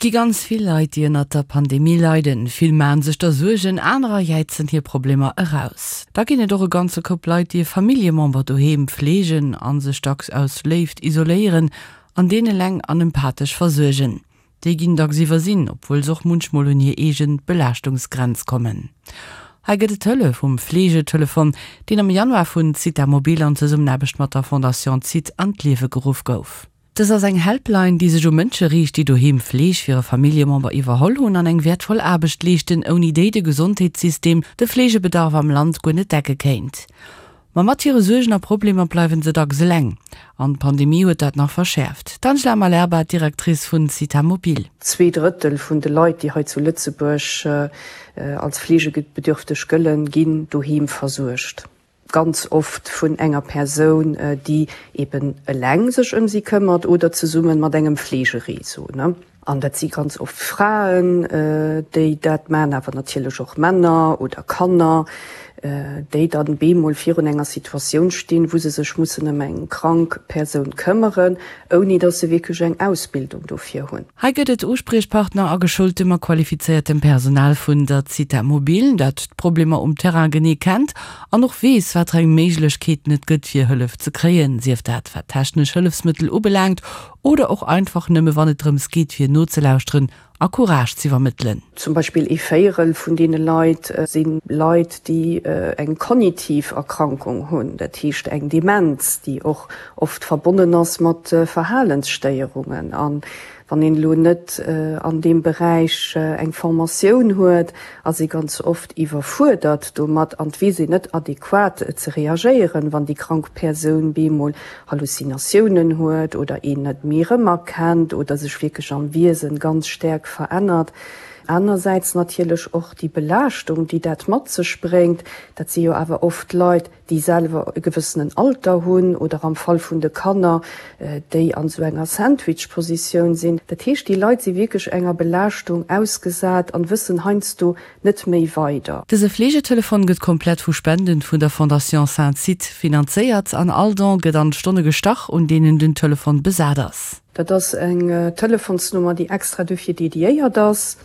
Et gi ganz vill Leit, déi ënnert der Pandemie leiden. Vill maachen sech der Suergen, anerer jäizen hir Problemer eraus. Da ginn et och e ganze Koup Leit, déi e Familljemember doheem fleegen a sech dacks aus Léift isoléieren an deen eleng an empathesch versuergen. Déi ginn dacks iwwersinn, obwuel se och munchmol un hir eegen Belaaschtungsgrenz kommen. Hei gëtt et Hëllef um Fleegetelefon, deen am Januar vun Zitha Mobil an Zesummenaarbecht mat der Fondation Zithe an d'Liewe geruff gouf. Dës ass eng Helpline, déi sech u Mënsche riicht, déi doheem Fleeg fir e Familljemember iwwerholl hunn an eng wäertvoll Aarbecht leeschten, ouni déi de Gesondheetssystem de Fleegebedarf am Land guer net decke kéint. Ma mat hire Suergen a Problemer bleiwen se dacks eleng. An d'Pandemie huet dat nach verschäerft. D'Angela Malerba, Directrice vun Zitha Mobil. Zweedrëttel vun de Leit, déi hei zu Lëtzebuerg als fleegebedürfteg gëllen, ginn doheem versuergt. Ganz oft vun enger Persoun, déi eben eleng sech ëm si këmmert oder zesumme mat engem Fleegereseau. An dat si ganz oft Fraen, déi dat maachen, awer natierlech och Männer oder Kanner, déi dann bemol virun enger Situatioun stinn, wou se sech mussen ëm eng krank Persoun këmmeren, ouni datt se wierklech eng Ausbildung dofir hunn. Hei gëtt et Uspriechpartner a geschultem a qualifizéiertem Personal vun der Zitha Mobil, dat d'Problemer um Terrain genee kennt an och weess, wat fir eng Méiglechkeeten et gëtt, fir Hëllef ze kréien, sief dat wat technesch Hëllefsmëttel ubelaangt oder och einfach nëmme wann et drëms geet, fir nozelauschteren a Courage z'iwwermëttelen. Zum Beispill ee Véierel vun deene Leit si Leit, déi eng kognitiv Erkrankung hunn, dat heescht eng Demenz, déi och oft verbonnen ass mat Verhalensstéierungen. A wann een elo net an deem Beräich eng Formatioun huet, ass ee ganz oft iwwerfuerdert domat an et weess een net adequat ze reagéieren, wann déi krank Persoun bemol Halluzinatiounen huet oder een net méi erëmerkennt oder sech wierklech am Wiesen ganz staark verännert. Anersäits natierlech och déi Belaaschtung, déi dat mat sech bréngt. Dat si jo awer oft Leit, déi selwer e gewëssenen Alter hunn oder am Fall vun de Kanner, déi an esou enger Sandwich-Positioun sinn. Dat heescht, déi Leit si wierklech enger Belaaschtung ausgesat an wëssen heiansdo net méi weider. Dëse Fleegetelefon gëtt komplett vu Spenden vun der Fondation Sainte-Zithe finanzéiert an all Don gëtt an d'Stonne gestach, un deenen den Telefon besat ass. Dat ass eng Telefonsnummer, déi extra dofir dediéiert ass.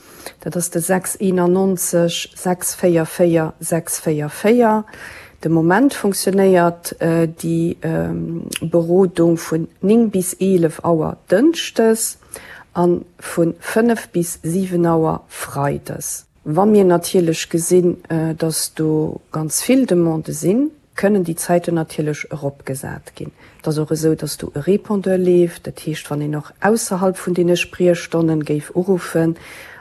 Dat ass de 6 91 644 644. De Moment funktionéiert déi Berodung vun 9 bis 11 Auer dënschdes. a vu 5 bis 7 Auer freides. Wa mir natierlech gesinn, dass do ganz vill Demandë sinn, kënnen déi Zäiten natierlech eropgesat ginn. Et ass och esou, dass do e Répondeur leeft, dat heescht, wann een och ausserhalb vun deene Spriechstonnen géif uruffen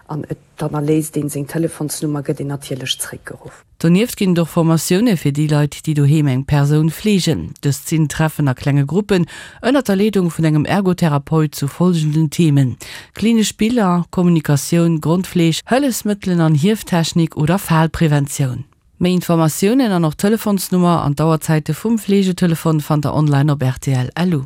an et dann erléisst een seng Telefonsnummer, gëtt een natierlech zréckgeruff. Donieft ginn et och Formatioune fir déi Leit, déi doheem eng Persoun fleegen. Dëst sinn Treffen a klenge Gruppen ënnert der Leedung vun engem Ergotherapeut zu folgenden Themen, klinesch Biller, Kommunikatioun, Grondfleeg, Hëllefsmëttelen an Hieftechnik oder Falpreventioun. Méi Informatiounen an och d'Telefonsnummer an d'Auerzäite vum Fleegetelefon fannt der online op rtl. Lu.